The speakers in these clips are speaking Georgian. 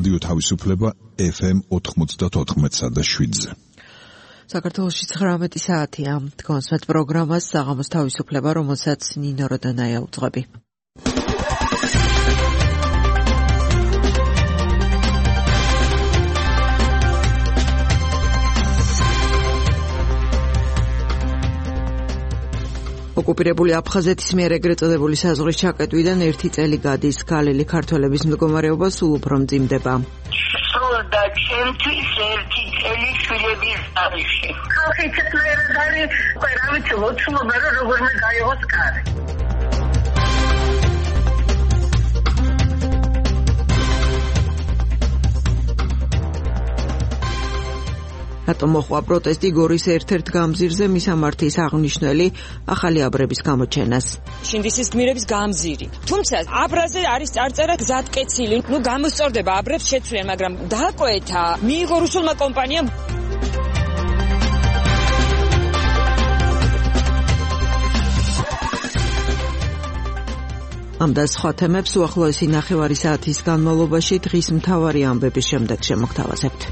რადიო თავისუფლება FM 94.7-ზე. საქართველოში 19 საათია. თქვენს პროგრამას საღამოს თავისუფლება, რომელსაც ნინო როდანაია უძღვები. ოკუპირებული აფხაზეთის მიერ ეგრეთ წოდებული საზღვრის ჩაკეტვიდან 1 წელი გადის. გალილი ქართველების მდგომარეობა სულ უფრო მძიმდება. სროდა ჩემთვის 1 წელი შვილების დარიში. ხალხი ცეცხლიერად არის, რა ვიცი, ლოცულობა რომ როგორმე გაიღოს კარი. რატომ მოხდა პროტესტი გორის ერთ-ერთ გამზირზე მისამართის აღნიშნელი ახალი აბრების გამოჩენას. შინდისის გმირების გამზირი. თუმცა აბრაზე არის წარწერა გზატკეცილი. გამოსწორდება აბრებს შეცვლიან, მაგრამ დააკვეთა მიიღო რუსულმა კომპანიამ. ამ და სხვა თემებს უახლოესი ნახევარი საათის განმავლობაში დღის მთავარი ამბების შემდეგ შემოგთავაზებთ.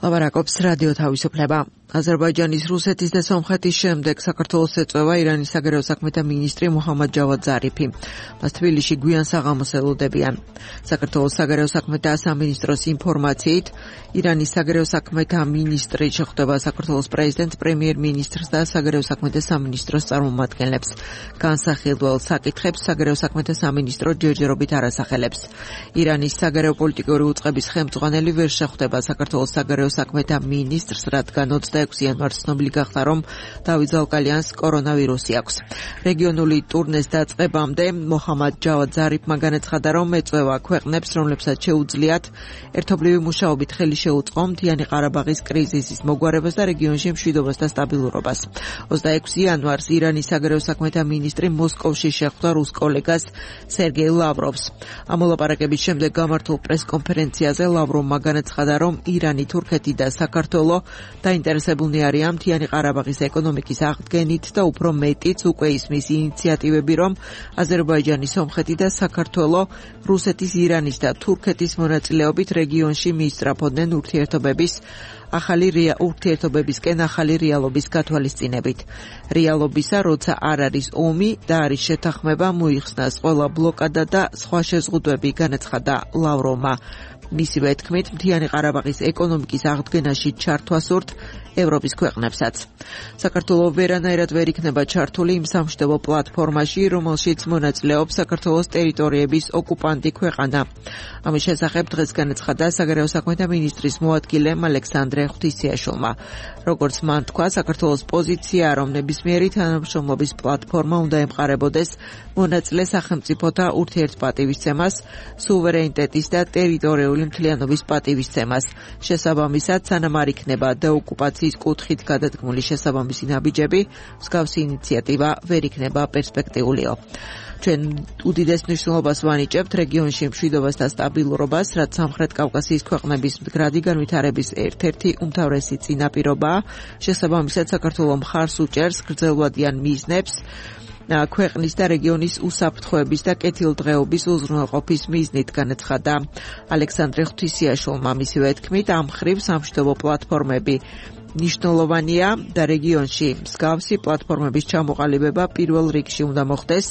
ლაბარაკობს რადიო თავისუფლება. აზერბაიჯანის, რუსეთის და სომხეთის შემდეგ საქართველოს ეწევა ირანის საგარეო საქმეთა მინისტრი მუჰამად ჯავად ზარიფი. მას თბილისში გვიან საღამოს ელოდებიან. საქართველოს საგარეო საქმეთა სამინისტროს ინფორმაციით, ირანის საგარეო საქმეთა მინისტრი შეხვდება საქართველოს პრეზიდენტს, პრემიერ-მინისტრს და საგარეო საქმეთა სამინისტროს წარმომადგენლებს. განსახილველ საკითხებს საგარეო საქმეთა სამინისტრო ჯერჯერობით არ ასახელებს. ირანის საგარეო პოლიტიკური უწყების ხელმძღვანელი ვერ შეხვდება საქართველოს საგარეო საქმეთა მინისტრს, რადგან 26 იანვარს ცნობილი გახდა, რომ დავით ზალკალიანს კორონავირუსი აქვს. რეგიონული ტურნეს დაწყებამდე მუჰამად ჯავად ზარიფმა განაცხადა, რომ ეწევა ქვეყნებს, რომლებსაც შეუძლიათ ერთობლივი მუშაობით ხელი შეუწყო მთიანი ყარაბაღის კრიზისის მოგვარებას და რეგიონში მშვიდობას და სტაბილურობას. 26 იანვარს ირანის საგარეო საქმეთა მინისტრი მოსკოვში შეხვდა რუს კოლეგას სერგეი ლავროვს. ამ მოლაპარაკების შემდეგ გამართულ პრესკონფერენციაზე ლავროვმა განაცხადა, რომ ირანი, თურქეთი და საქართველო დაინტერესებულნი არიან მთიანი ყარაბაღის ეკონომიკის აღდგენით და უფრო მეტიც უკვე ისმის ინიციატივები, რომ აზერბაიჯანი, სომხეთი და საქართველო რუსეთის, ირანის და თურქეთის მონაწილეობით რეგიონში მიისწრაფოდნენ ურთიერთობებისკენ ახალი რეალობის გათვალისწინებით. რეალობისა, როცა არ არის ომი და არის შეთანხმება, მოიხსნას ყველა ბლოკადა და სხვა შეზღუდვები, განაცხადა ლავროვმა. მისივე თქმით, მთიანი ყარაბაღის ეკონომიკის აღდგენაში ჩართვა სურთ ევროპის ქვეყნებსაც. საქართველო ვერანაირად ვერ იქნება ჩართული იმ სამშვიდობო პლატფორმაში, რომელშიც მონაწილეობს საქართველოს ტერიტორიების ოკუპანტი ქვეყანა. ამის შესახებ დღეს განაცხადა საგარეო საქმეთა მინისტრის მოადგილემ ალექსანდრე ღვთისმოწყალმა. როგორც მან თქვა, საქართველოს პოზიციაა, რომ ნებისმიერი თანამშრომლობის პლატფორმა უნდა ემყარებოდეს მონაწილე სახელმწიფოთა ურთიერთპატივისცემას, სუვერენიტეტის და ტერიტორიული მთლიანობის პატივისცემას. შესაბამისად, სანამ არ იქნება დეოკუპაციის კუთხით გადადგმული შესაბამისი ნაბიჯები, მსგავსი ინიციატივა ვერ იქნება პერსპექტიულიო. ჩვენ უდიდეს მნიშვნელობას ვანიჭებთ რეგიონში მშვიდობას და სტაბილურობას, რაც სამხრეთ კავკასიის ქვეყნების მდგრადი განვითარების ერთ-ერთი უმთავრესი წინაპირობაა. შესაბამისად, საქართველო მხარს უჭერს გრძელვადიან მიზნებს ქვეყნის და რეგიონის უსაფრთხოების და კეთილდღეობის უზრუნველყოფის მიზნით, განაცხადა ალექსანდრე ღვთისმოწყალმა. მისივე თქმით, ამ მხრივ სამშვიდობო პლატფორმები მნიშვნელოვანია და რეგიონში მსგავსი პლატფორმების ჩამოყალიბება პირველ რიგში უნდა მოხდეს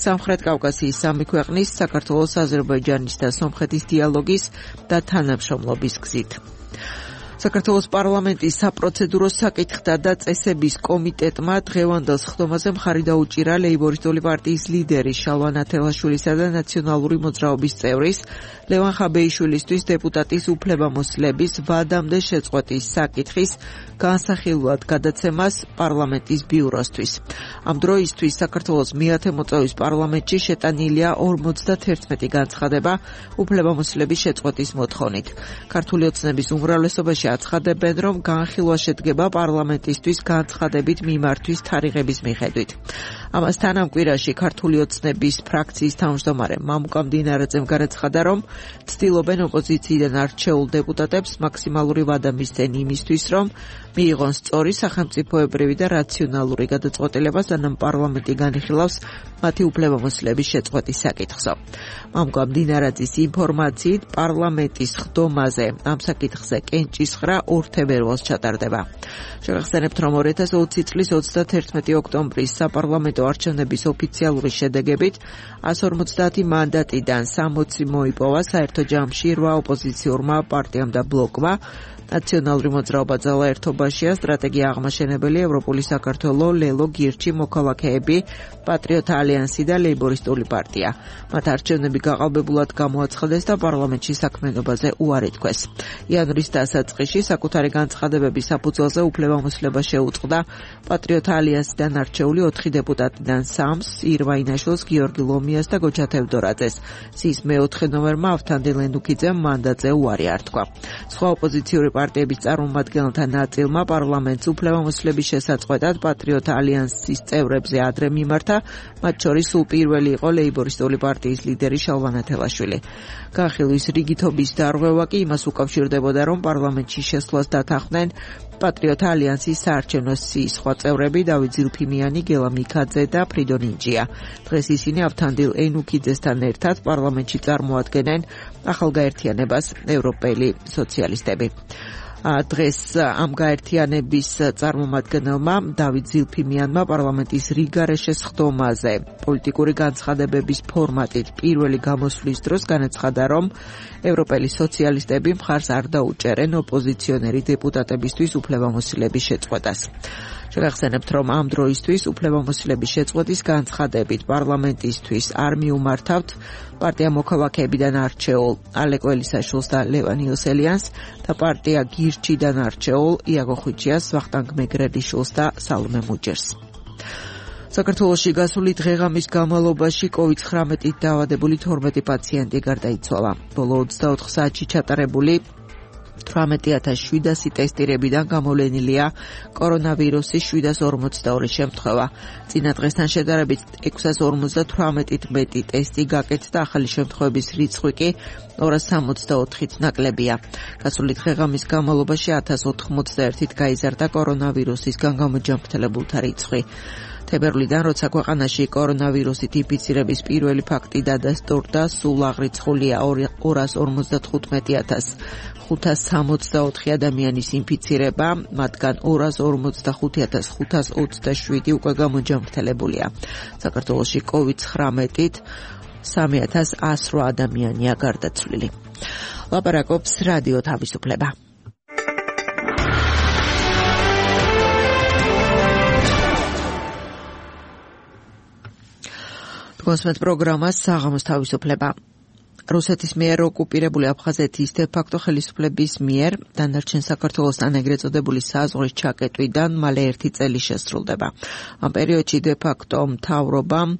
სამხრეთ კავკასიის სამი ქვეყნის, საქართველოს, აზერბაიჯანის და სომხეთის დიალოგის და თანამშრომლობის გზით. საქართველოს პარლამენტის საპროცედურო საკითხთა და წესების კომიტეტმა დღევანდელ სხდომაზე მხარი დაუჭირა ლეიბორისტული პარტიის ლიდერის შალვა ნათელაშვილისა და ნაციონალური მოძრაობის წევრის ლევან ხაბეიშვილისთვის დეპუტატის უფლებამოსილების ვადამდე შეწყვეტის საკითხის განსახილვად გადაცემას პარლამენტის ბიუროსთვის. ამ დროისთვის საქართველოს მეათე მოწვევის პარლამენტში შეტანილია 51 განცხადება უფლებამოსილების შეწყვეტის მოთხოვნით. ქართული ოცნების უმრავლესობაში აცხადებენ, რომ განხილვა შედგება პარლამენტისთვის განცხადებით მიმართვის თარიღების მიხედვით. ამასთან ამ კვირაში ქართული ოცნების ფრაქციის თავმჯდომარე მამუკა მდინარაძემ განაცხადა, რომ ცდილობენ ოპოზიციიდან არჩეულ დეპუტატებს მაქსიმალური ვადა მისცენ იმისთვის, რომ მიიღონ სწორი სახელმწიფოებრივი და რაციონალური გადაწყვეტილება, სანამ პარლამენტი განიხილავს მათი უფლებამოსილების შეწყვეტის საკითხზე. მამუკა მდინარაძის ინფორმაციით პარლამენტის ხდომაზე ამ საკითხზე კენჭისხრა 2 თებერვალს ჩატარდება. შევახსენებთ, რომ 2020 წლის 31 ოქტომბრის საპარლამენტო არჩევნების ოფიციალური შედეგებით 150 მანდატიდან 60 მოიპოვა საერთო ჯამში 8 ოპოზიციურმა პარტიამ და ბლოკმა. ნაციონალური მოძრაობა ძალა ერთობაშია, სტრატეგია აღმაშენებელი, ევროპული საქართველო, ლელო, გირჩი, მოქალაქეები, პატრიოტ ალიანსი და ლეიბორისტული პარტია. მათ არჩევნები გაყალბებულად გამოაცხადეს და პარლამენტში საქმიანობაზე უარი თქვეს. იანვრის დასაწყისში საკუთარი განცხადებების საფუძველზე უფლებამოსილება შეუწყდა პატრიოტ ალიანსიდან არჩეული 4 დეპუტატიდან 3-ს, ირვა ინაშვილს, გიორგი ლომიას და გოჩა თევდორაძეს. სიის მეოთხე ნომერმა ავთანდილ ენუქიძემ მანდატზე უარი ართქვა. სხვა ოპოზიციური პარტიების წარმომადგენელთა ნაწილმა პარლამენტს უფლებამოსილების შესაწყვეტად პატრიოტ ალიანსის წევრებზე ადრე მიმართა, მათ შორის სულ პირველი იყო ლეიბორისტული პარტიის ლიდერი შალვა თელაშვილი. განხილვის რიგითობის დარღვევა კი იმას უკავშირდებოდა, რომ პარლამენტში შესვლას დათანხმდნენ პატრიოტ ალიანსის საარჩევნო სიის სხვა წევრები დავით ზილფიმიანი, გელა მიქაძე და ფრიდონ ინჯია. დღეს ისინი ავთანდილ ენუქიძესთან ერთად პარლამენტში წარმოადგენენ ახალგაერთიანებას ევროპელი სოციალისტები. დღეს ამ გაერთიანების წარმომადგენელმა დავით ზილფიმიანმა პარლამენტის რიგარეშეს ხდომაზე პოლიტიკური განცხადებების ფორმატით პირველი გამოსვლის დროს განაცხადა, რომ ევროპელი სოციალისტები მხარს არ დაუჭერენ ოპოზიციონერი დეპუტატებისთვის უფლებამოსილების შეწყვეტას. შევახსენებთ, რომ ამ დროისთვის უფლებამოსილების შეწყვეტის განცხადებით პარლამენტისთვის არ მიუმართავთ პარტია მოქალაქეებიდან არჩეულ ალეკო ელისაშვილს და ლევან იოსელიანს და პარტია გირჩიდან არჩეულ იაგო ხვიჩიას, ვახტანგ მეგრელიშვილს და სალომე მუჯერს. საქართველოში გასული დღეღამის განმავლობაში COVID-19-ით დაავადებული 12 პაციენტი გარდაიცვალა. ბოლო 24 საათში ჩატარებული 18700 ტესტირებიდან გამოვლენილია კორონავირუსის 742 შემთხვევა. წინა დღესთან შედარებით 658-ით მეტი ტესტი გაკეთდა, ახალი შემთხვევების რიცხვი კი 264-ით ნაკლებია. გასული დღეღამის განმავლობაში 1091-ით გაიზარდა კორონავირუსისგან გამოჯანმრთელებულთა რიცხვი. თებერვლიდან, როცა ქვეყანაში კორონავირუსით ინფიცირების პირველი ფაქტი დადასტურდა, სულ აღრიცხულია 250.564 ადამიანის ინფიცირება, მათგან 245.527 უკვე გამოჯანმრთელებულია. საქართველოში COVID-19-ით 3108 ადამიანია გარდაცვლილი. ლაპარაკობს რადიო თავისუფლება. კონსმეთ პროგრამას საღამოს თავისუფლება. რუსეთის მიერ ოკუპირებული აფხაზეთის დე-ფაქტო ხელისუფლების მიერ დანარჩენ საქართველოსთან ეგრეთ წოდებული საზღვრის ჩაკეტვიდან მალე 1 წელი შესრულდება. ამ პერიოდში დე-ფაქტო მთავრობამ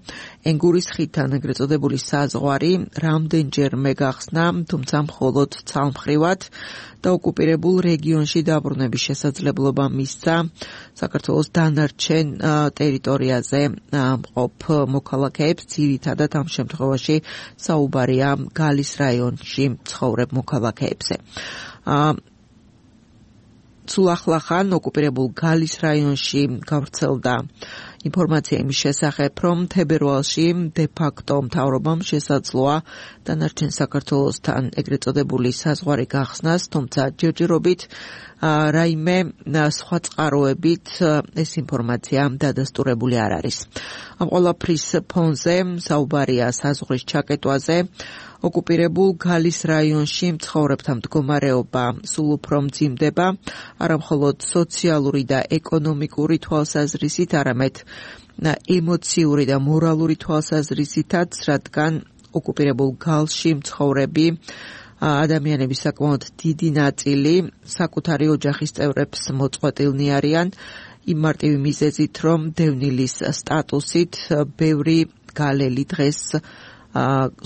ენგურის ხიდთან ეგრეთ წოდებული საზღვარი რამდენჯერმე გახსნა, თუმცა მხოლოდ ცალმხრივად და ოკუპირებულ რეგიონში დაბრუნების შესაძლებლობა მისცა საქართველოს დანარჩენ ტერიტორიაზე მყოფ მოქალაქეებს, ძირითადად ამ შემთხვევაში საუბარია გალის რაიონში ცხოვრებ მოქალაქეებზე. სულ ახლახან ოკუპირებულ გალის რაიონში გავრცელდა ინფორმაცია იმის შესახებ, რომ თებერვალში დე-ფაქტო მთავრობამ შესაძლოა დანარჩენ საქართველოსთან ეგრეთ წოდებული საზღვარი გახსნას, თუმცა ჯერჯერობით რაიმე სხვა წყაროებით ეს ინფორმაცია დადასტურებული არ არის. ამ ყველაფრის ფონზე საუბარია საზღვრის ჩაკეტვაზე. ოკუპირებულ გალის რაიონში მცხოვრებთა მდგომარეობა სულ უფრო მძიმდება, არა მხოლოდ სოციალური და ეკონომიკური თვალსაზრისით, არამედ ემოციური და მორალური თვალსაზრისითაც, რადგან ოკუპირებულ გალში მცხოვრები ადამიანების საკმაოდ დიდი ნაწილი საკუთარი ოჯახის წევრებს მოწყვეტილნი არიან, იმ მარტივი მიზეზით, რომ დევნილის სტატუსით ბევრი გალელი დღეს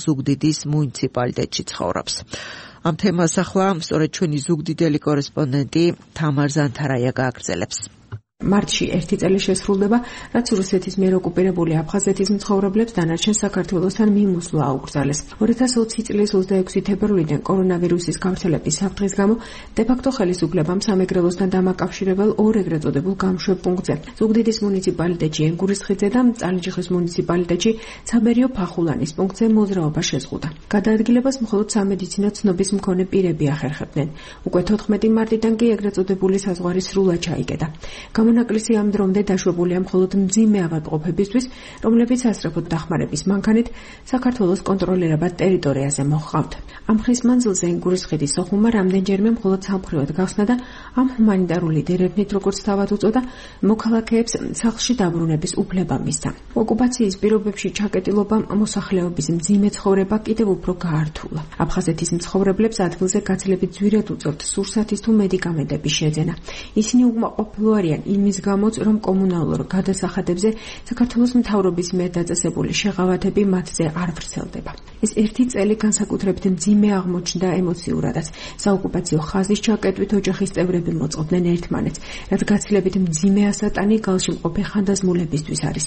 ზუგდიდის მუნიციპალიტეტში ცხოვრობს. ამ თემას ახლა სწორედ ჩვენი ზუგდიდელი კორესპონდენტი თამარ ზანთარაია გააგრძელებს. მარტში 1 წელი შესრულდება, რაც რუსეთის მიერ ოკუპირებული აფხაზეთის მცხოვრებლებს დანარჩენ საქართველოსთან მიმოსვლა აუკრძალეს. 2020 წლის 26 თებერვლიდან კორონავირუსის გავრცელების საფრთხის გამო დე-ფაქტო ხელისუფლებამ სამეგრელოსთან დამაკავშირებელ ორ ეგრეთ წოდებულ გამშვებ პუნქტზე, ზუგდიდის მუნიციპალიტეტში ენგურისხიძე და წალენჯიხის მუნიციპალიტეტში ცაბერიო ფახულანის პუნქტზე მოძრაობა შეზღუდა. გადაადგილებას მხოლოდ სამედიცინო ცნობის მქონე პირები ახერხებდნენ. უკვე 14 მარტიდან კი ეგრეთ წოდებული საზღვარი სრულად ჩაიკეტა. გამონაკლისი ამ დრომდე დაშვებულია მხოლოდ მძიმე ავადმყოფებისთვის, რომლებიც ასწრაფოდ დახმარების მანქანით საქართველოს კონტროლირებად ტერიტორიაზე მოჰყავთ. ამ ხის მანძილზე ენგურისხიდის სოხუმმა რამდენჯერმე მხოლოდ სამხრივად გახსნა და ამ ჰუმანიტარული დერევნით, როგორც თავად უწოდა, მოქალაქეებს სახლში დაბრუნების უფლება მისცა. ოკუპაციის პირობებში ჩაკეტილობამ მოსახლეობის მძიმე ცხოვრება კიდევ უფრო გაართულა. აფხაზეთის მცხოვრებლებს ადგილზე გაცილებით ძვირად უწევთ სურსათის თუ მედიკამენტების შეძენა. ისინი უკმაყოფილო არიან იმის გამოც, რომ კომუნალურ გადასახადებზე საქართველოს მთავრობის მიერ დაწესებული შეღავათები მათზე არ ვრცელდება. ეს 1 წელი განსაკუთრებით მძიმე აღმოჩნდა ემოციურადაც. საოკუპაციო ხაზის ჩაკეტვით ოჯახის წევრები მოწყობდნენ ერთმანეთს, რაც გაცილებით მძიმე ასატანი გალში მყოფი ხანდაზმულებისთვის არის.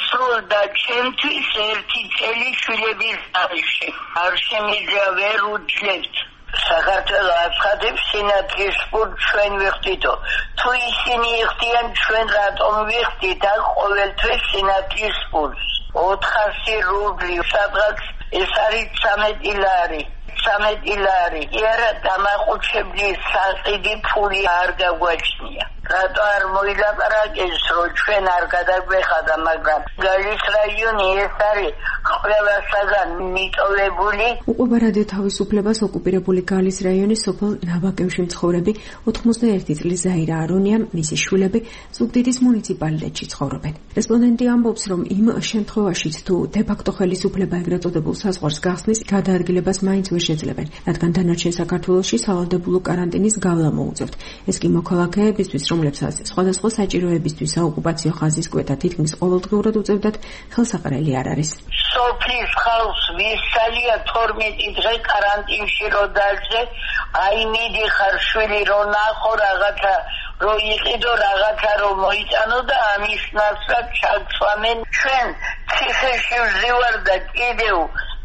სროლდა ჩემთვის 1 წელი შვილების თარიღში. არ შემიძლია ვერ უძლებთ. საქართველოს აფხაზებს სინათლის სპორტ ჩვენ ვიხდიდო. თუ ისინი იხდიან ჩვენ რატომ ვიხდით აქ ყოველთვის სინათლის სპორტს? 400 რუბლი სადღაც ეს არის 13 ლარი. 13 ლარი. იარა დამახუჩებლის საყიდი ფული არ გაგვაჩნია. რატო არ მოილაპარაკეს, რომ ჩვენ არ გადაგვეხადა, მაგრამ გალის რაიონი ეს არის ყველასაგან მიტოვებული. უყვება რადიო თავისუფლებას ოკუპირებული გალის რაიონის სოფელ ნაბაკევში მცხოვრები 91 წლის ზაირა არონია, მისი შვილები ზუგდიდის მუნიციპალიტეტში ცხოვრობენ. რესპონდენტი ამბობს, რომ იმ შემთხვევაშიც თუ დე-ფაქტო ხელისუფლება ეგრეთ წოდებულ საზღვარს გახსნის, გადაადგილებას მაინც ვერ შეძლებენ, რადგან დანარჩენ საქართველოში სავალდებულო კარანტინის გავლა მოუწევთ. ეს კი მოქალაქეებისთვის, რომლებსაც სხვადასხვა საჭიროებისთვის საოკუპაციო ხაზის კვეთა თითქმის ყოველდღიურად უწევდათ, ხელსაყრელი არ არის. სოფლის ხალხს ვისალია 12 დღე კარანტინში რო დაძე, აი მიდიხარ შვილი რო ნახო რაღაცა რო იყიდო რაღაცა რო მოიტანო და ამის ნაცვლად ჩაგცვამენ ჩვენ ციხეში ვზივარ და კიდევ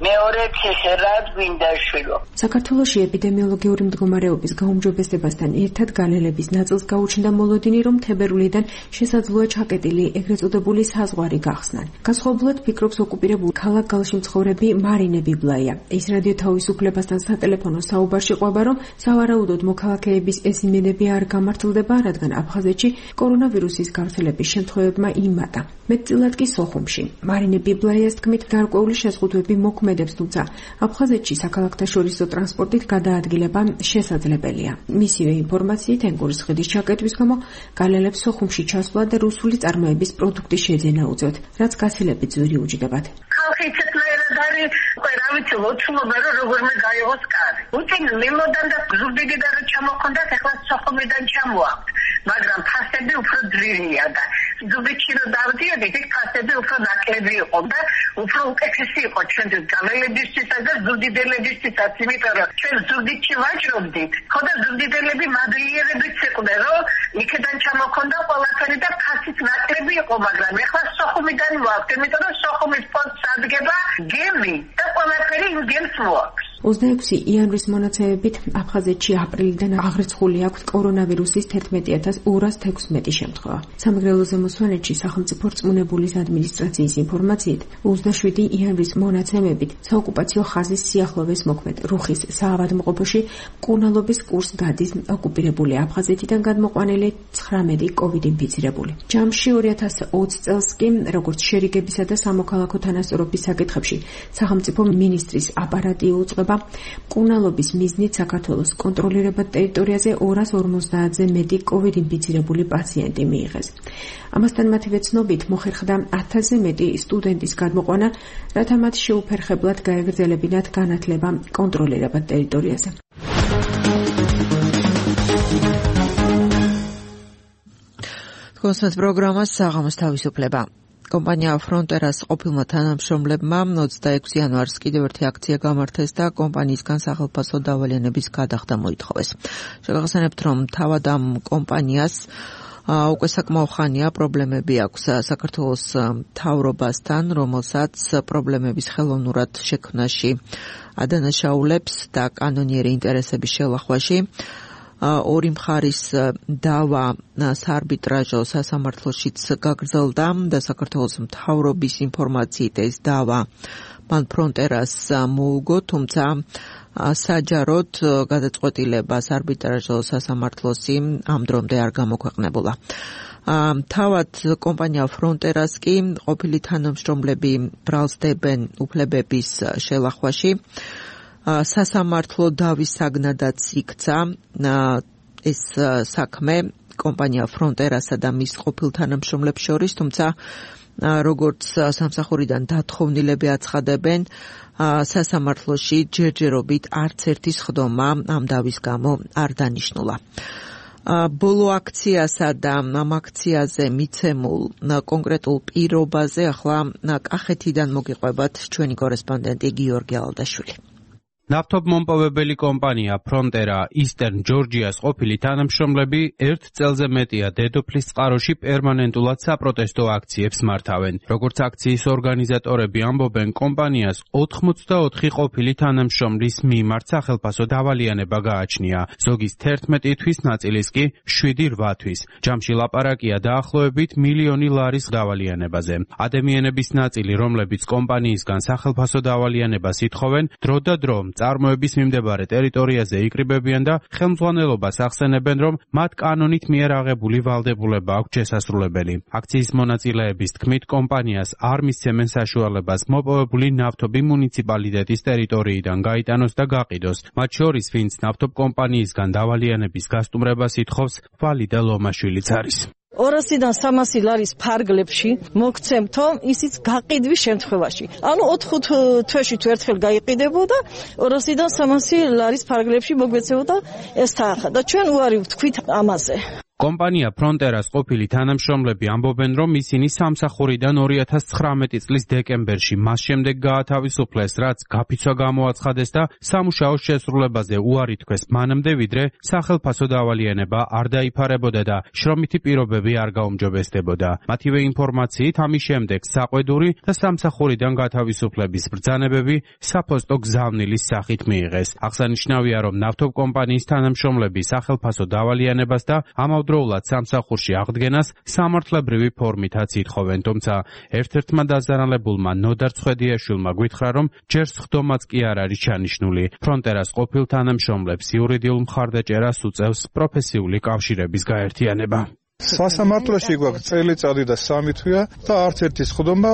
მეორე ციხე რად გვინდა შვილო. საქართველოში ეპიდემიოლოგიური მდგომარეობის გაუმჯობესებასთან ერთად გალელების ნაწილს გაუჩნდა მოლოდინი, რომ თებერვლიდან შესაძლოა ჩაკეტილი ეგრეთ წოდებული საზღვარი გახსნან. განსხვავებულად ფიქრობს ოკუპირებულ ქალაქ გალში მცხოვრები მარინე ბიბლაია. ის რადიო თავისუფლებასთან სატელეფონო საუბარში ყვება, რომ სავარაუდოდ მოქალაქეების ეს იმედები არ გამართლდება, რადგან აფხაზეთში კორონავირუსის გავრცელების შემთხვევებმა იმატა. მეტწილად კი სოხუმში. მარინე ბიბლაიას თქმით, გარკვეული შეზღუდვები მოქმედებს, თუმცა აფხაზეთში საქალაქთაშორისო ტრანსპორტით გადაადგილება შესაძლებელია. მისივე ინფორმაციით, ენგურისხიდის ჩაკეტვის გამო გალელებს სოხუმში ჩასვლა და რუსული წარმოების პროდუქტის შეძენა უწევთ, რაც გაცილებით ძვირი უჯდებათ. ხალხი ცეკვერად არის, რა ვიცი, ლოცულობა რომ როგორმე გაიღოს კარი. უცინ ლიმოდან და ზუგდიდიდან რა ჩამოხონდათ, ახლა სოხუმიდან ჩამოაქვთ, მაგრამ ფასები უფრო ძვირია და ზუგდიდში რომ დავდიოდით, იქ ფასები უფრო ნაკლები იყო და უფრო უკეთესი იყო ჩვენთვის გალელებისთვისაც და ზუგდიდებისთვისაც, იმიტომ რომ ჩვენ ზუგდიდში ვაჭრობდით, ხო და ზუგდიდელები მადლიერებიც იყვნენ, რომ იქიდან ჩამოხონდა ყველაფერი და ფასიც ნაკლები იყო, მაგრამ ახლა სოხუმიდან მოაქვთ, იმიტომ რომ სოხუმის პონტს ადგება გემი და ყველაფერი იმ გემს მოაქვს. 26 იანვრის მონაცემებით აფხაზეთში აპრილიდან აღრიცხული აქვს კორონავირუსის 11216 შემთხვევა. სამეგრელოზე მოსვანეთში სახელმწიფო რწმუნებულის ადმინისტრაციის ინფორმაციით 27 იანვრის მონაცემებით საოკუპაციო ხაზის სიახლოვეს მოქმედ რუხის საავადმყოფოში მკურნალობის კურსს გადის ოკუპირებული აფხაზეთიდან გადმოყვანილი 19 კოვიდ ინფიცირებული. ჯამში 2020 წელს კი როგორც შერიგებისა და სამოქალაქო თანასწორობის საკითხებში სახელმწიფო მინისტრის აპარატი უწყება მკურნალობის მიზნით საქართველოს კონტროლირებად ტერიტორიაზე 250-ზე მეტი კოვიდ ინფიცირებული პაციენტი მიიღეს. ამასთან მათივე ცნობით მოხერხდა 1000-ზე მეტი სტუდენტის გადმოყვანა, რათა მათ შეუფერხებლად გაეგრძელებინათ განათლება კონტროლირებად ტერიტორიაზე. თქვენს პროგრამას საღამოს თავისუფლება. კომპანია Fronteras ყოფილმა თანამშრომლებმა 26 იანვარს კიდევ ერთი აქცია გამართეს და კომპანიისგან სახელმწიფო დავალიანების გადახდა მოითხოვეს. შეგახსენებთ, რომ თავად ამ კომპანიას უკვე საკმაო ხანია პრობლემები აქვს საქართველოს მთავრობასთან, რომელსაც პრობლემების ხელოვნურად შექმნაში ადანაშაულებს და კანონიერი ინტერესების შელახვაში. ორი მხარის დავა საარბიტრაჟო სასამართლოშიც გაგრძელდა და საქართველოს მთავრობის ინფორმაციით ეს დავა მან Fronteras მოუგო, თუმცა საჯაროდ გადაწყვეტილება საარბიტრაჟო სასამართლოსი ამ დრომდე არ გამოქვეყნებულა. თავად კომპანია Fronteras კი ყოფილი თანამშრომლები ბრალსდებენ უფლებების შელახვაში. სასამართლო დავის საგნადაც იქცა ეს საქმე კომპანია Fronterasა და მის ყოფილ თანამშრომლებს შორის, თუმცა როგორც სამსახურიდან დათხოვნილები აცხადებენ, სასამართლოში ჯერჯერობით არც ერთი სხდომა ამ დავის გამო არ დანიშნულა. ბოლო აქციასა და ამ აქციაზე მიცემულ კონკრეტულ პირობაზე ახლა კახეთიდან მოგიყვებათ ჩვენი კორესპონდენტი გიორგი ალდაშვილი. ნავთობმომპოვებელი კომპანია Frontera Eastern Georgia-ს ყოფილი თანამშრომლები ერთ წელზე მეტია დედოფლის წყაროში პერმანენტულად საპროტესტო აქციებს მართავენ. როგორც აქციის ორგანიზატორები ამბობენ, კომპანიას 84 ყოფილი თანამშრომლის მიმართ სახელმწიფო დავალიანება გააჩნია. ზოგის 11 თვის, ნაწილის კი 7-8 თვის. ჯამში ლაპარაკია დაახლოებით $1,000,000 დავალიანებაზე. ადამიანების ნაწილი, რომლებიც კომპანიისგან სახელმწიფო დავალიანებას ითხოვენ, დრო და დრო წარმოების მიმდებარე ტერიტორიაზე იკრიბებიან და ხელმძღვანელობას ახსენებენ, რომ მათ კანონით მიერ აღებული ვალდებულება აქვს შესასრულებელი. აქციის მონაწილეების თქმით, კომპანიას არ მისცემენ საშუალებას მოპოვებული ნავთობი მუნიციპალიტეტის ტერიტორიიდან გაიტანოს და გაყიდოს. მათ შორის, ვინც ნავთობკომპანიისგან დავალიანების გასტუმრებას ითხოვს, ვალიდა ლომაშვილიც არის. 200-დან 300 ლარის ფარგლებში მოგცემთო ისიც გაყიდვის შემთხვევაში. ანუ 4-5 თვეში თუ ერთხელ გაიყიდებოდა 200-დან 300 ლარის ფარგლებში მოგვეცებოდა ეს თანხა და ჩვენ უარი ვთქვით ამაზე. კომპანია Fronteras ყოფილი თანამშრომლები ამბობენ, რომ ისინი სამსახურიდან 2019 წლის დეკემბერში მას შემდეგ გაათავისუფლეს, რაც გაფიცვა გამოაცხადეს და სამუშაოს შესრულებაზე უარი თქვეს მანამდე, ვიდრე სახელმწიფო დავალიანება არ დაიფარებოდა და შრომითი პირობები არ გაუმჯობესდებოდა. მათივე ინფორმაციით, ამის შემდეგ საყვედური და სამსახურიდან გათავისუფლების ბრძანებები საფოსტო გზავნილის სახით მიიღეს. აღსანიშნავია, რომ ნავთობკომპანიის თანამშრომლები სახელმწიფო დავალიანებას და დროულად სამსახურში აღდგენას სამართლებრივი ფორმითაც ითხოვენ, თუმცა ერთ-ერთმა დაზარალებულმა ნოდარ ცხედიაშვილმა გითხრა, რომ ჯერ სხდომაც კი არ არის ჩანიშნული. Fronteras ყოფილ თანამშრომლებს იურიდიულ მხარდაჭერას უწევს პროფესიული კავშირების გაერთიანება. სასამართლოში გვაქვს წელიწადი და 3 თვეა და არც ერთი სხდომა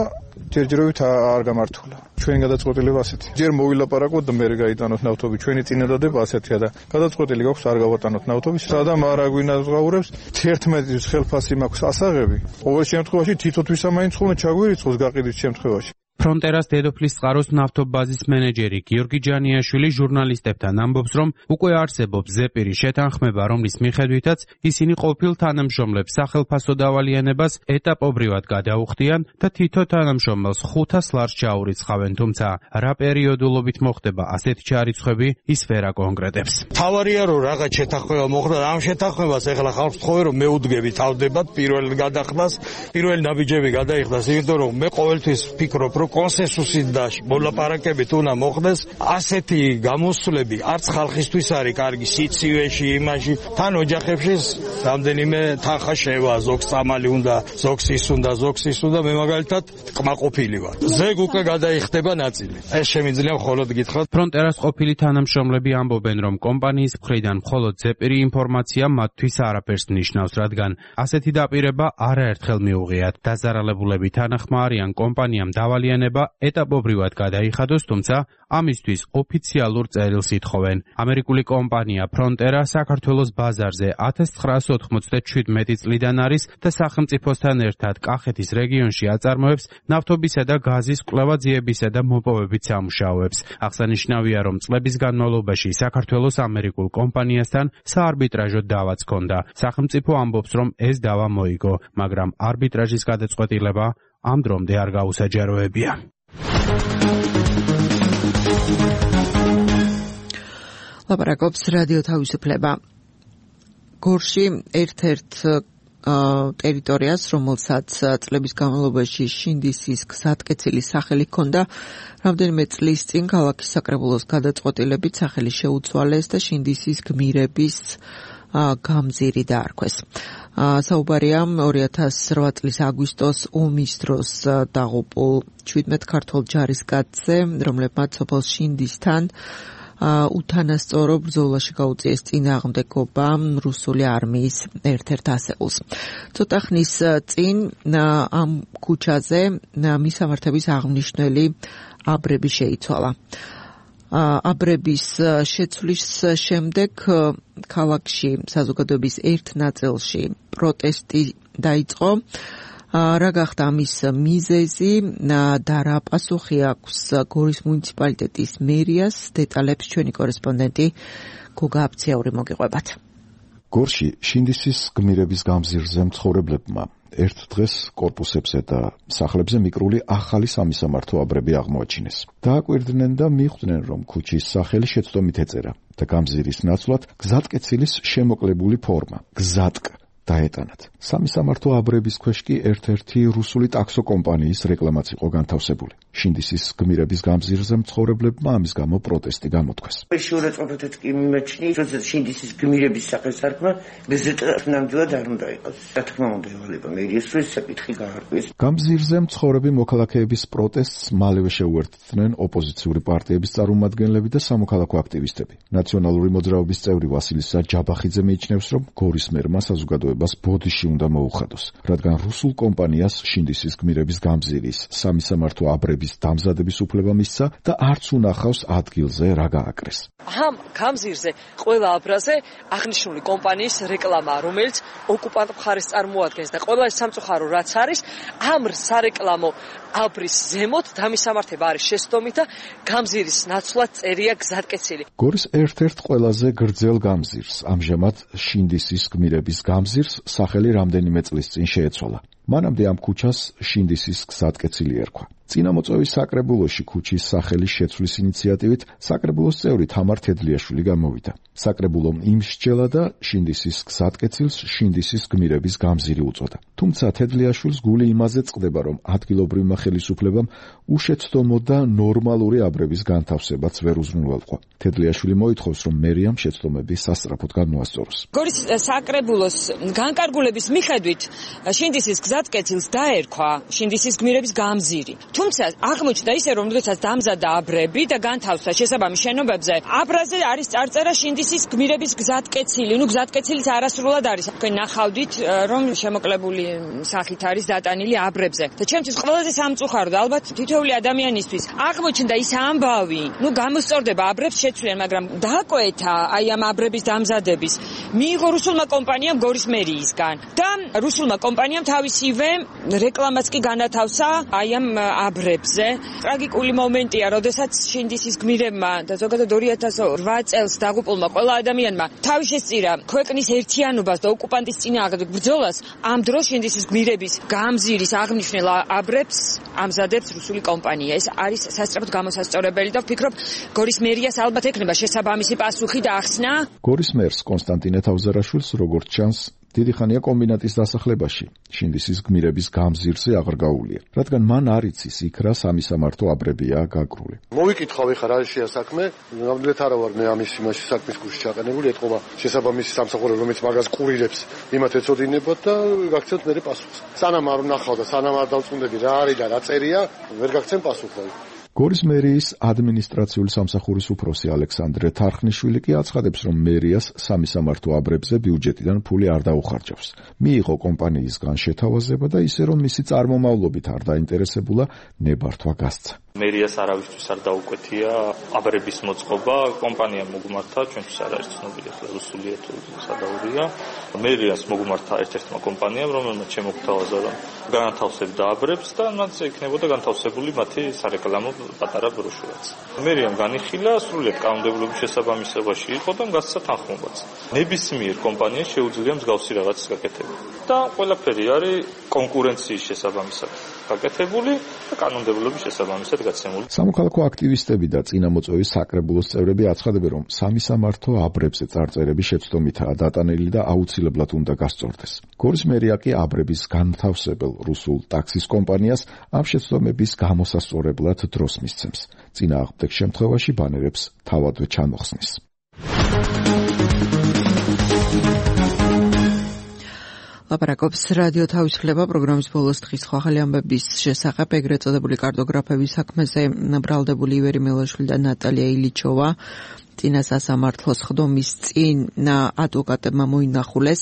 ჯერჯერობით არ გამართულა. ჩვენ გადაწყვეტილება ასეთი. ჯერ მოვილაპარაკოთ და მერე გაიტანოთ ნავთობი. ჩვენი წინადადება ასეთია და გადაწყვეტილი გვაქვს არ გავატანოთ ნავთობი. სადამ არ აგვინაზღაურებს 11 ხელფასი მაქვს ასაღები. ყოველ შემთხვევაში თითოთვის ამაინც ხოლმე ჩაგვირიცხოს გაყიდვის შემთხვევაში. Fronteras დედოფლის წყაროს ნავთობბაზის მენეჯერი გიორგი ჯანიაშვილი ჟურნალისტებთან ამბობს, რომ უკვე არსებობს ზეპირი შეთანხმება, რომლის მიხედვითაც ისინი ყოფილ თანამშრომლებს სახელმწიფო დავალიანებას ეტაპობრივად გადაუხდიან და თითო თანამშრომელს 500 ლარს ჩაურიცხავენ, თუმცა რა პერიოდულობით მოხდება ასეთი ჩარიცხვები, ის ვერ აკონკრეტებს. თავარია რომ რაღაც შეთანხმება მოხდა, ამ შეთანხმებას ეხლა ხალხს თხოვე რომ მეუდგები თავდებათ პირველ გადახდას, პირველი ნაბიჯები გადაიხდას, იმიტომ რომ მე ყოველთვის ვფიქრობ, რომ კონსენსუსით და მოლაპარაკებით უნდა მოხდეს. ასეთი გამოსვლები არც ხალხისთვის არის კარგი სიცივეში, იმაში, თან ოჯახებში რამდენიმე თანხა შევა, ზოგს წამალი უნდა, ზოგს ის უნდა, მე მაგალითად კმაყოფილი ვარ. ზეგ უკვე გადაიხდება ნაწილი. ეს შემიძლია მხოლოდ გითხრათ. Fronteras ყოფილი თანამშრომლები ამბობენ, რომ კომპანიის მხრიდან მხოლოდ ზეპირი ინფორმაცია მათთვის არაფერს ნიშნავს, რადგან ასეთი დაპირება არაერთხელ მიუღიათ. დაზარალებულები თანახმა არიან კომპანიამ დავალიანება ეტაპობრივად გადაიხადოს, თუმცა ამისთვის ოფიციალურ წერილს ითხოვენ. ამერიკული კომპანია Frontera საქართველოს ბაზარზე 1997 წლიდან არის და სახელმწიფოსთან ერთად კახეთის რეგიონში აწარმოებს ნავთობისა და გაზის კვლევა-ძიებისა და მოპოვებით სამუშაოებს. აღსანიშნავია, რომ წლების განმავლობაში საქართველოს ამერიკულ კომპანიასთან საარბიტრაჟო დავაც ჰქონდა. სახელმწიფო ამბობს, რომ ეს დავა მოიგო, მაგრამ არბიტრაჟის გადაწყვეტილება ამ დრომდე არ გაუსაჯაროებია. ლაპარაკობს რადიო თავისუფლება. გორში ერთ-ერთ ტერიტორიას, რომელსაც წლების განმავლობაში შინდისის გზატკეცილის სახელი ჰქონდა, რამდენიმე წლის წინ ქალაქის საკრებულოს გადაწყვეტილებით სახელი შეუცვალეს და შინდისის გმირების გამზირი დაარქვეს. საუბარია 2008 წლის აგვისტოს ომის დროს დაღუპულ 17 ქართველ ჯარისკაცზე, რომლებმაც სოფელ შინდისთან უთანასწორო ბრძოლაში გაუწიეს წინააღმდეგობა რუსული არმიის ერთ-ერთ ასეულს. ცოტა ხნის წინ ამ ქუჩაზე მისამართების აღმნიშვნელი აბრები შეიცვალა. აბრების შეცვლის შემდეგ ქალაქში საზოგადოების ერთ ნაწილში პროტესტი დაიწყო. რა გახდა ამის მიზეზი და რა პასუხი აქვს გორის მუნიციპალიტეტის მერიას, დეტალებს ჩვენი კორესპონდენტი გოგა აფციური მოგიყვებათ. გორში შინდისის გმირების გამზირზე მცხოვრებლებმა ერთ დღეს კორპუსებზე და სახლებზე მიკრული ახალი სამისამართო აბრები აღმოაჩინეს. დააკვირდნენ და მიხვდნენ, რომ ქუჩის სახელი შეცდომით ეწერა და გამზირის ნაცვლად გზატკეცილის შემოკლებული ფორმა გზატკ დაეტანათ. სამისამართო აბრების ქვეშ კი ერთ-ერთი რუსული ტაქსო კომპანიის რეკლამაც იყო განთავსებული. შინდისის გმირების გამზირზე მცხოვრებლებმა ამის გამო პროტესტი გამოთქვეს. შეურაცხყოფათაც კი მიმაჩნი, როცა შინდისის გმირების სახეს არქვა, ბეზეტად ნამდვილად არ უნდა იყოს. რა თქმა უნდა, ევალება მერიას, რომ ეს საკითხი გაარკვიეს. გამზირზე მცხოვრები მოქალაქეების პროტესტს მალევე შეუერთდნენ ოპოზიციური პარტიების წარმომადგენლები და სამოქალაქო აქტივისტები. ნაციონალური მოძრაობის წევრი ვასილისა ჯაბახიძე მიიჩნევს, რომ გორის მერმა საზოგადოებას ბოდიში უნდა მოუხადოს, რადგან რუსულ კომპანიას შინდისის გმირების გამზირის სამისამართო აბრების დამზადების უფლება მისცა და არც უნახავს ადგილზე რა გააკრეს. ამ გამზირზე ყველა აბრაზე აღნიშნული კომპანიის რეკლამაა, რომელიც ოკუპანტ მხარეს წარმოადგენს და ყველა სამწუხარო რაც არის, ამ სარეკლამო აბრის ზემოთ დამისამართება არის შეცდომით და გამზირის ნაცვლად წერია გზატკეცილი. გორის ერთ-ერთ ყველაზე გრძელ გამზირს, ამჟამად შინდისის გმირების გამზირს სახელი რამდენიმე წლის წინ შეეცვალა. მანამდე ამ ქუჩას შინდისის გზატკეცილი ერქვა. წინამოწვევის საკრებულოში ქუჩის სახელის შეცვლის ინიციატივით საკრებულოს წევრი თამარ თედლიაშვილი გამოვიდა. საკრებულომ იმსჯელა და შინდისის გზატკეცილს შინდისის გმირების გამზირი უწოდა. თუმცა თედლიაშვილს გული იმაზე წყდება, რომ ადგილობრივმა ხელისუფლებამ უშეცდომო და ნორმალური აბრების განთავსებაც ვერ უზრუნველყო. თედლიაშვილი მოითხოვს, რომ მერიამ შეცდომები სასწრაფოდ გამოასწოროს. გორის საკრებულოს განკარგულების მიხედვით შინდისის გზატკეცილს დაერქვა შინდისის გმირების გამზირი. თუმცა აღმოჩნდა ისე, რომ როდესაც დამზადდა აბრები და განთავსდა შესაბამის შენობებზე, აბრაზე არის წარწერა შინდისის გმირების გზატკეცილი. გზატკეცილის არასრულად არის. თქვენ ნახავდით, რომ შემოკლებული სახით არის დატანილი აბრებზე. და ჩემთვის ყველაზე სამწუხარო და ალბათ თითოეული ადამიანისთვის აღმოჩნდა ის ამბავი, გამოსწორდება აბრებს შეცვლიან, მაგრამ დააკვეთა აი ამ აბრების დამზადების მიიღო რუსულმა კომპანიამ გორის მერიისგან და რუსულმა კომპანიამ თავისივე რეკლამაც კი განათავსა აი ამ აბრებზე. ტრაგიკული მომენტია, როდესაც შინდისის გმირებმა და ზოგადად 2008 წელს დაღუპულმა ყველა ადამიანმა თავი შესწირა ქვეყნის ერთიანობას და ოკუპანტის წინააღმდეგ ბრძოლას, ამ დროს შინდისის გმირების გამზირის აღნიშნულ აბრებს ამზადებს რუსული კომპანია. ეს არის სასწრაფოდ გამოსასწორებელი და ვფიქრობ, გორის მერიას ალბათ ექნება შესაბამისი პასუხი და ახსნა. გორის მერს კონსტანტინე თავზარაშვილს, როგორც ჩანს, დიდი ხანია კომბინატის დასახლებაში შინდისის გმირების გამზირზე აღარ გაუვლია, რადგან მან არ იცის იქ რა სამისამართო აბრებია გაგრული. მოვიკითხავ ეხლა რა შეა საქმე, ნამდვილად არა ვარ მე ამის იმაში საქმის გულში ჩაყენებული, ეთყობა შესაბამისი სამსახური, რომელიც მაგას კურირებს, იმათ ეწოდინებათ და გაგცემთ მე პასუხს. სანამ არ ვნახავ და სანამ არ დავწუნდები რა არის და რა წერია, ვერ გაგცემ პასუხს. გორის მერიის ადმინისტრაციული სამსახურის უფროსი ალექსანდრე თარხნიშვილი კი აცხადებს, რომ მერიას სამისამართო აბრებზე ბიუჯეტიდან ფული არ დაუხარჯავს. მიიღო კომპანიისგან შეთავაზება და ისე რომ მისი წარმომავლობით არ დაინტერესებულა, ნებართვა გასცა. მერიას არავისთვის არ დაუკვეთია აბრების მოწყობა, კომპანია მოგმართა, ჩვენთვის არ არის ცნობილი, ახლა რუსულია თუ სადაურია. მერიას მოგმართა ერთ-ერთმა კომპანიამ, რომელმაც შემოგთავაზა, რომ განათავსებდა აბრებს და მათზე იქნებოდა განთავსებული მათი სარეკლამო პატარა ბროშურაც. მერიამ განიხილა, სრულიად კანონმდებლობის შესაბამისობაში იყო და გასცა თანხმობაც. ნებისმიერ კომპანიას შეუძლია მსგავსი რაღაცის გაკეთება. და ყველაფერი არის კონკურენციის შესაბამისად. გაკეთებული და კანონმდებლობის შესაბამისად გაცემული. სამოქალაქო აქტივისტები და წინამოწვევის საკრებულოს წევრები აცხადებენ, რომ სამისამართო აბრებზე წარწერები შეცდომითაა დატანილი და აუცილებლად უნდა გასწორდეს. გორის მერია კი აბრების განთავსებელ რუსულ ტაქსის კომპანიას ამ შეცდომების გამოსასწორებლად დროს მისცემს. წინააღმდეგ შემთხვევაში ბანერებს თავადვე ჩამოხსნის. ლაპარაკობს რადიო თავისუფლება პროგრამის ბოლოს დღის ახალი ამბების შესახებ ეგრეთ წოდებული კარტოგრაფების საქმეზე ბრალდებული ივერი მელაშვილი და ნატალია ილიჩოვა წინა სასამართლოს ხდომის წინ ადვოკატებმა მოინახულეს.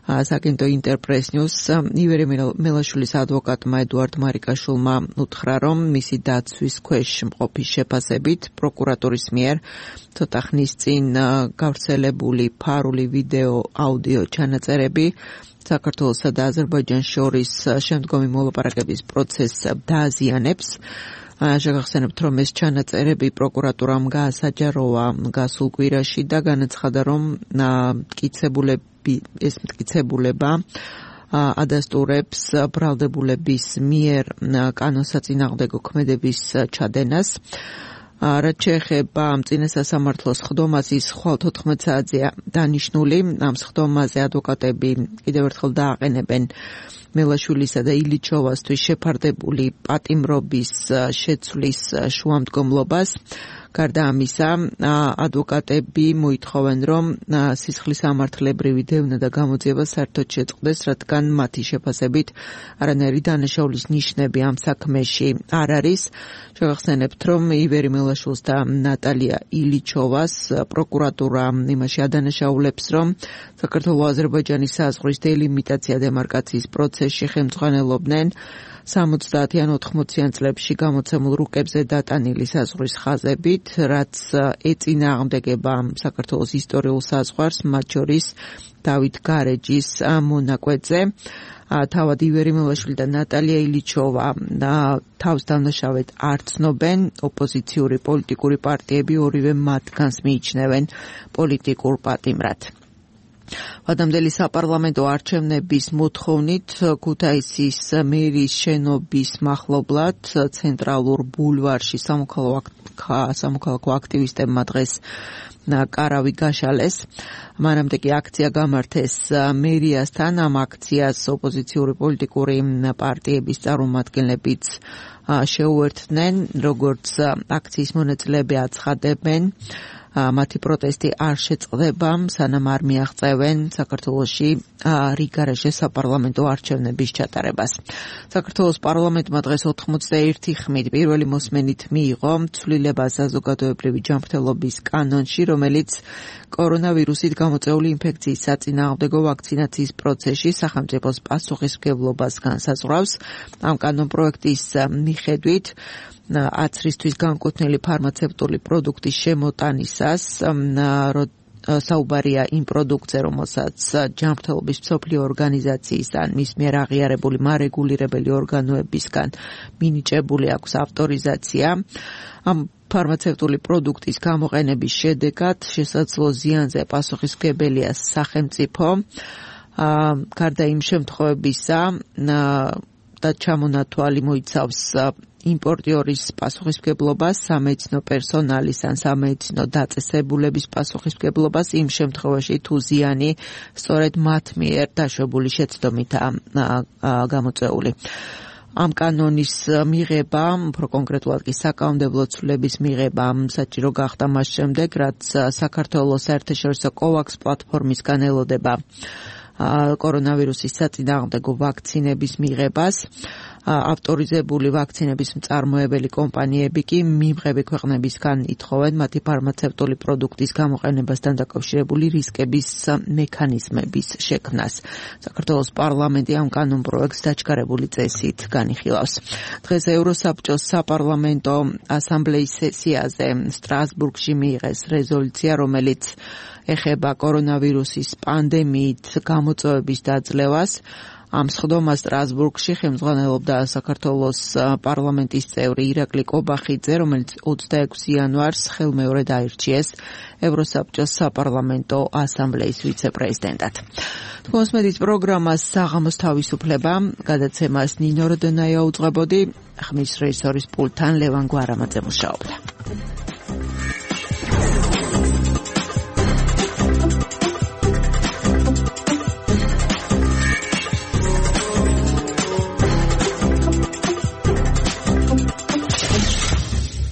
საკინტო ინტერპრეს ნიუს ივერი მელაშვილის ადვოკატმა ედუარდ მარიკაშვილმა უთხრა, რომ მისი დაცვის ქვეშ მყოფის შეფასებით პროკურატურის მიერ ცოტა ხნის წინ გავრცელებული ფარული ვიდეო აუდიო ჩანაწერები საქართველოსა და აზერბაიჯანს შორის შემდგომი მოლაპარაკების პროცესს დააზიანებს. შეგახსენებთ, რომ ეს ჩანაწერები პროკურატურამ გაასაჯაროვა გასულ კვირაში და განაცხადა, რომ ეს მტკიცებულება ადასტურებს ბრალდებულების მიერ კანონსაწინააღმდეგო ქმედების ჩადენას. რაც შეეხება წინა სასამართლოს ხდომას, ის ხვალ 14 საათზეა დანიშნული. ამ ხდომაზე ადვოკატები კიდევ ერთხელ დააყენებენ მელაშვილისა და ილიჩოვასთვის შეფარდებული პატიმრობის შეცვლის შუამდგომლობას. გარდა ამისა, ადვოკატები მოითხოვენ, რომ სისხლის ამართლებრივი დევნა და გამოძიება საერთოდ შეწყდეს, რადგან მათი შეფასებით არანაირი დანაშაულის ნიშნები ამ საქმეში არ არის. შევახსენებთ, რომ ივერი მელაშვილს და ნატალია ილიჩოვას პროკურატურა იმაში ადანაშაულებს, რომ საქართველო-აზერბაიჯანის საზღვრის დელიმიტაცია დემარკაციის პროცესში ხელმძღვანელობდნენ 70-ან 80-იან წლებში გამოცემულ რუკებზე დატანილი საზღვრის ხაზებით, რაც ეწინააღმდეგება საქართველოს ისტორიულ საზღვარს, მათ შორის დავით გარეჯის მონაკვეთზე. თავად ივერი მელაშვილი და ნატალია ილიჩოვა თავს დამნაშავედ არ ცნობენ. ოპოზიციური პოლიტიკური პარტიები ორივე მათგანს მიიჩნევენ პოლიტიკურ პატიმრად. ვადამდელი საპარლამენტო არჩევნების მოთხოვნით ქუთაისის მერის შენობის მახლობლად ცენტრალურ ბულვარში სამოქალაქო აქტივისტებმა დღეს კარავი გაშალეს. მანამდე კი აქცია გამართეს მერიასთან. ამ აქციას ოპოზიციური პოლიტიკური პარტიების წარმომადგენლებიც შეუერთდნენ. როგორც აქციის მონაწილეები აცხადებენ, მათი პროტესტი არ შეწყდება, სანამ არ მიაღწევენ საქართველოში რიგარეშე საპარლამენტო არჩევნების ჩატარებას. საქართველოს პარლამენტმა დღეს 81 ხმით პირველი მოსმენით მიიღო ცვლილება საზოგადოებრივი ჯანმრთელობის კანონში, რომელიც კორონავირუსით გამოწვეული ინფექციის საწინააღმდეგო ვაქცინაციის პროცესში სახელმწიფოს პასუხისმგებლობას განსაზღვრავს. ამ კანონპროექტის მიხედვით აცრისთვის განკუთვნილი ფარმაცევტული პროდუქტის შემოტანისას საუბარია იმ პროდუქტზე, რომელსაც ჯანმრთელობის მსოფლიო ორგანიზაციის ან მის მიერ აღიარებული მარეგულირებელი ორგანოებისგან მინიჭებული აქვს ავტორიზაცია. ამ ფარმაცევტული პროდუქტის გამოყენების შედეგად შესაძლო ზიანზე პასუხისმგებელია სახელმწიფო. გარდა იმ შემთხვევებისა და ჩამონათვალი მოიცავს იმპორტიორის პასუხისმგებლობას, სამედიცინო პერსონალის ან სამედიცინო დაწესებულების პასუხისმგებლობას იმ შემთხვევაში, თუ ზიანი სწორედ მათ მიერ დაშვებული შეცდომითაა გამოწვეული. ამ კანონის მიღება, უფრო კონკრეტულად კი საკანონმდებლო ცვლილების მიღება საჭირო გახდა მას შემდეგ, რაც საქართველოს საერთაშორისო COVAX პლატფორმისგან ელოდება კორონავირუსის საწინააღმდეგო ვაქცინების მიღებას. ავტორიზებული ვაქცინების მწარმოებელი კომპანიები კი მიმღები ქვეყნებისგან ითხოვენ მათი ფარმაცევტული პროდუქტის გამოყენებასთან დაკავშირებული რისკების მექანიზმების შექმნას. საქართველოს პარლამენტი ამ კანონპროექტს დაჩქარებული წესით განიხილავს. დღეს ევროსაბჭოს საპარლამენტო ასამბლეის სესიაზე სტრასბურგში მიიღეს რეზოლუცია, რომელიც ეხება კორონავირუსის პანდემიით გამოწვევების დაძლევას. ამ სხდომას სტრასბურგში ხელმძღვანელობდა საქართველოს პარლამენტის წევრი ირაკლი კობახიძე, რომელიც 26 იანვარს ხელმეორედ აირჩიეს ევროსაბჭოს საპარლამენტო ასამბლეის ვიცე-პრეზიდენტად. თქვენს მედიის პროგრამას საღამოს თავისუფლება, გადაცემას ნინო როდენაია უძღვებოდი, ხმის რეჟისორის პულტთან ლევან გვარამაძე მუშაობდა.